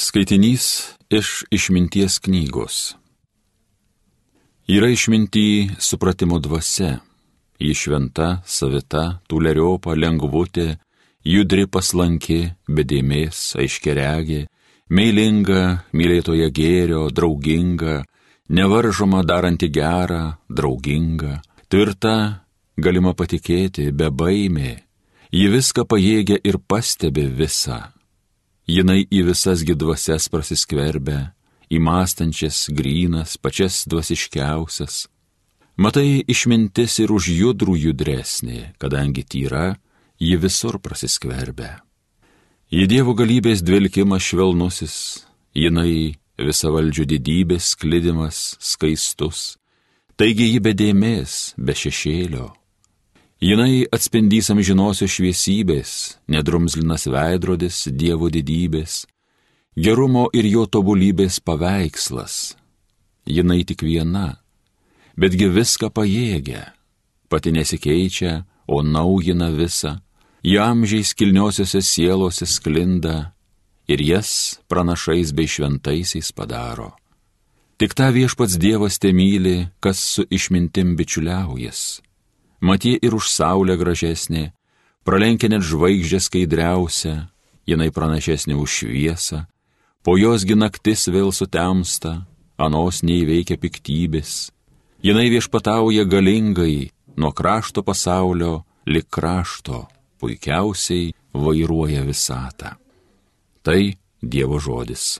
Skaitinys iš Išminties knygos. Yra išminty supratimo dvasia, ji šventa, savita, tūleriopa, lengvutė, judri paslanki, be dėmės, aiškiaregė, meilinga, mylėtoja gėrio, drauginga, nevaržoma daranti gerą, drauginga, tvirta, galima patikėti, bebaimė, ji viską pajėgia ir pastebi visą. Jinai į visas dvasias prasiskverbia, į mąstančias, grynas, pačias dvasiškiausias. Matai, išmintis ir už judrų judresnė, kadangi tyra, ji visur prasiskverbia. Ji Dievo galybės dvelkimas švelnusis, jinai visavaldžio didybės sklidimas skaistus, taigi ji be dėmės, be šešėlio. Jinai atspindys amžinosios šviesybės, nedrumzlinas veidrodis Dievo didybės, gerumo ir jo tobulybės paveikslas. Jinai tik viena, betgi viską pajėgia, pati nesikeičia, o naujina visą, ji amžiais kilniosiose sielose sklinda ir jas pranašais bei šventaisiais padaro. Tik tą viešpats Dievas temyli, kas su išmintim bičiuliaujas. Matie ir už saulę gražesnė, pralenkia net žvaigždė skaidriausia, jinai pranašesnė už šviesą, po josgi naktis vėl sutemsta, anos neįveikia piktybės. Jinai viešpatauja galingai, nuo krašto pasaulio lik krašto, puikiausiai vairuoja visatą. Tai Dievo žodis.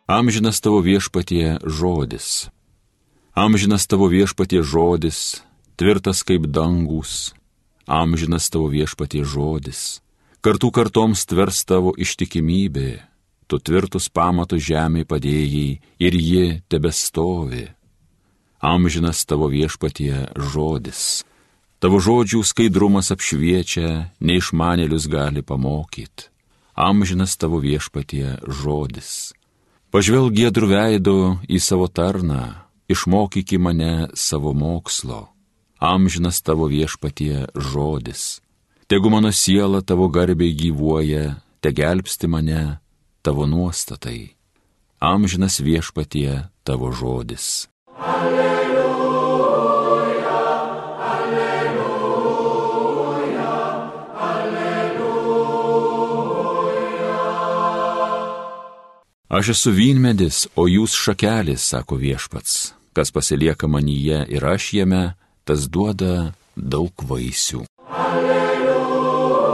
Amžinas tavo viešpatie žodis. Amžinas tavo viešpatie žodis, tvirtas kaip dangus. Amžinas tavo viešpatie žodis. Kartų kartoms tvers tavo ištikimybė. Tu tvirtus pamatus žemėj padėjai ir ji tebestovi. Amžinas tavo viešpatie žodis. Tavo žodžių skaidrumas apšviečia, neišmanėlius gali pamokyti. Amžinas tavo viešpatie žodis. Pažvelk giedrų veido į savo tarną, išmokyki mane savo mokslo. Amžinas tavo viešpatie žodis. Tegu mano siela tavo garbiai gyvuoja, te gelbsti mane tavo nuostatai. Amžinas viešpatie tavo žodis. Aš esu vynmedis, o jūs šakelės, sako viešpats. Kas pasilieka manyje ir aš jame, tas duoda daug vaisių. Alleluja,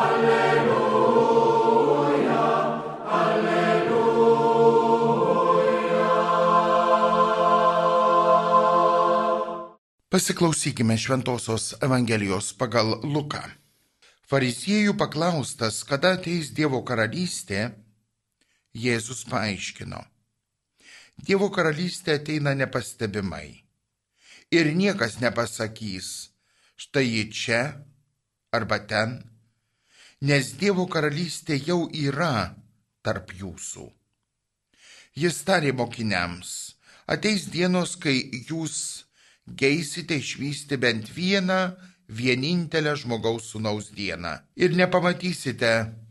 alleluja, alleluja. Pasiklausykime Šventosios Evangelijos pagal Luką. Fariziejų paklaustas, kada ateis Dievo karalystė, Jėzus paaiškino: Dievo karalystė ateina nepastebimai ir niekas nepasakys, štai ji čia arba ten, nes Dievo karalystė jau yra tarp jūsų. Jis tarė mokiniams: ateis dienos, kai jūs geisite išvysti bent vienintelę žmogaus sūnaus dieną ir nepamatysite.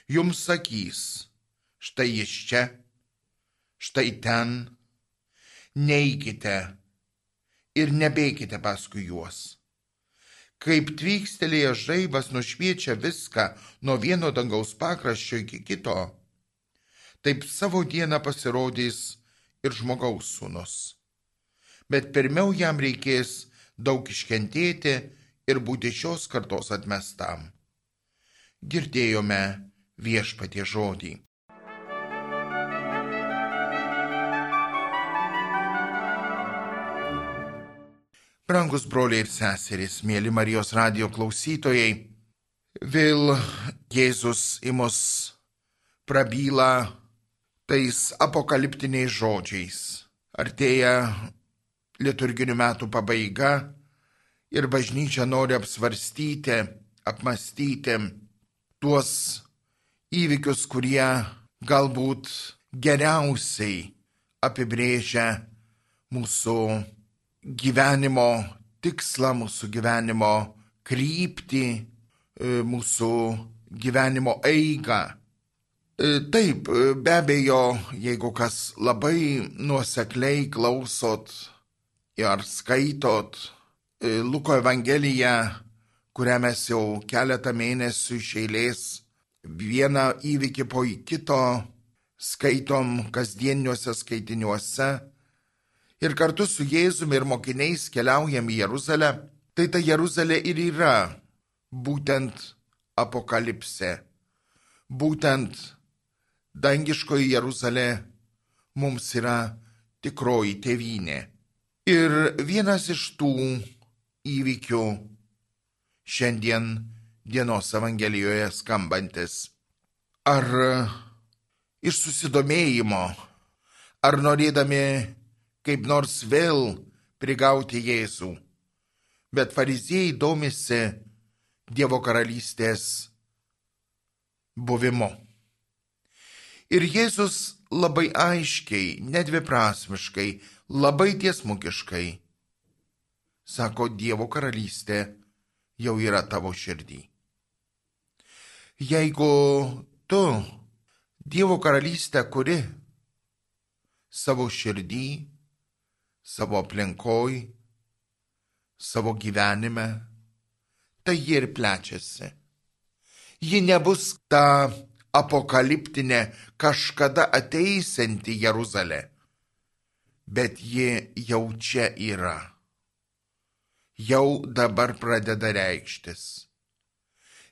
Jums sakys, štai jis čia, štai ten, neikite ir nebėkite paskui juos. Kaip tvykstelėjęs žaibas nušviečia viską nuo vieno dangaus pakraščio iki kito, taip savo dieną pasirodys ir žmogaus sūnus. Bet pirmiau jam reikės daug iškentėti ir būti šios kartos atmestam. Girdėjome Viešpatie žodį. Brangus broliai ir seserys, mėly Marijos radijo klausytojai, vėl Jėzus į mus prabyla tais apokaliptiniais žodžiais. Artėja liturginių metų pabaiga ir bažnyčia nori apsvarstyti, apmąstyti tuos įvykius, kurie galbūt geriausiai apibrėžia mūsų gyvenimo tikslą, mūsų gyvenimo kryptį, mūsų gyvenimo eigą. Taip, be abejo, jeigu kas labai nuosekliai klausot ar skaitot Luko Evangeliją, kurią mes jau keletą mėnesių iš eilės vieną įvykį po kito skaitom kasdieniuose skaitiniuose ir kartu su Jėzumi ir mokiniais keliaujam į Jeruzalę, tai ta Jeruzalė ir yra būtent apokalipsė, būtent dangiškoji Jeruzalė mums yra tikroji tėvynė. Ir vienas iš tų įvykių šiandien dienos Evangelijoje skambantis. Ar iš susidomėjimo, ar norėdami kaip nors vėl prigauti Jėzų, bet fariziejai domisi Dievo karalystės buvimu. Ir Jėzus labai aiškiai, nedviprasmiškai, labai tiesmukiškai sako, Dievo karalystė jau yra tavo širdį. Jeigu tu Dievo karalystę kuri savo širdį, savo aplinkoj, savo gyvenime, tai ji ir plečiasi. Ji nebus ta apokaliptinė kažkada ateisianti Jeruzalė, bet ji jau čia yra. Jau dabar pradeda reikštis.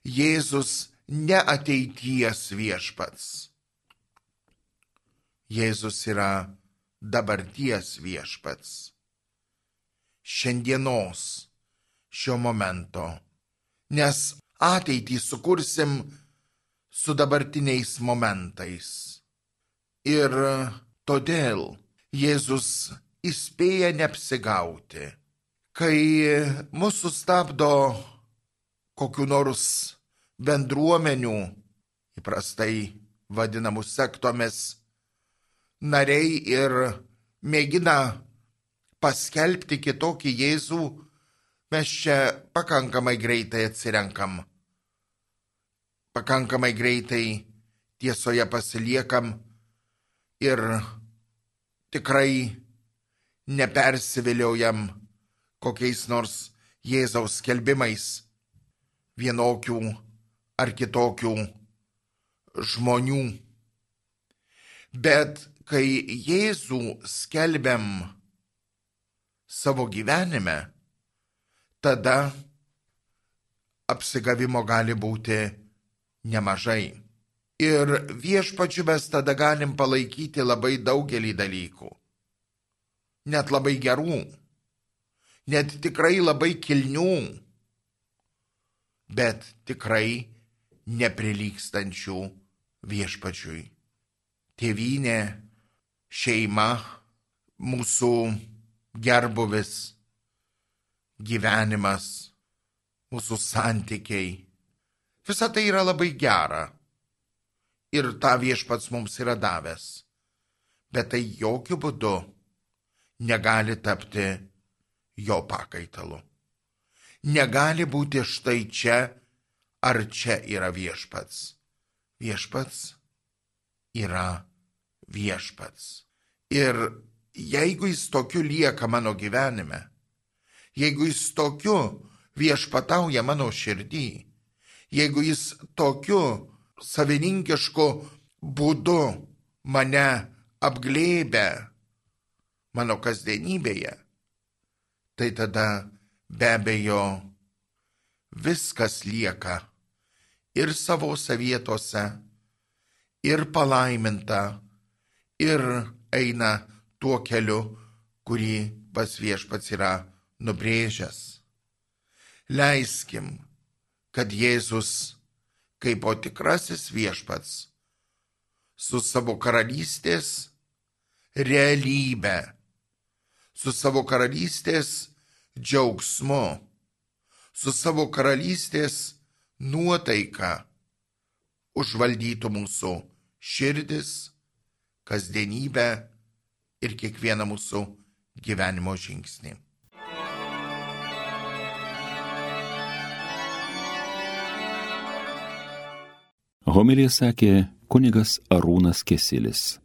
Jėzus ne ateities viešpats. Jėzus yra dabarties viešpats. Šiandienos, šio momento. Nes ateitį sukursim su dabartiniais momentais. Ir todėl Jėzus įspėja neapsigauti. Kai mūsų stabdo kokiu nors bendruomenių, įprastai vadinamų sektomis, nariai ir mėgina paskelbti kitokį Jėzų, mes čia pakankamai greitai atsirenkam. Pakankamai greitai tiesoje pasiliekam ir tikrai nepersiviliojam kokiais nors Jėzaus skelbimais vienokių ar kitokių žmonių. Bet kai Jėzų skelbiam savo gyvenime, tada apsigavimo gali būti nemažai. Ir viešpačiu mes tada galim palaikyti labai daugelį dalykų. Net labai gerų. Net tikrai labai kilnių, bet tikrai neprilygstančių viešpačiui. Tėvynė, šeima, mūsų gerbuvis, gyvenimas, mūsų santykiai. Visa tai yra labai gera ir tą viešpats mums yra davęs, bet tai jokių būdų negali tapti jo pakaitalu. Negali būti štai čia ar čia yra viešpats. Viešpats yra viešpats. Ir jeigu jis tokiu lieka mano gyvenime, jeigu jis tokiu viešpatauja mano širdį, jeigu jis tokiu savininkišku būdu mane apglėbia mano kasdienybėje, tai tada be abejo viskas lieka ir savose vietose, ir palaiminta, ir eina tuo keliu, kurį pats viešpats yra nubrėžęs. Leiskim, kad Jėzus, kaip tikrasis viešpats, su savo karalystės realybė, su savo karalystės džiaugsmu, su savo karalystės nuotaika užvaldytų mūsų širdis, kasdienybę ir kiekvieną mūsų gyvenimo žingsnį. Homiliją sakė kunigas Arūnas Kesilis.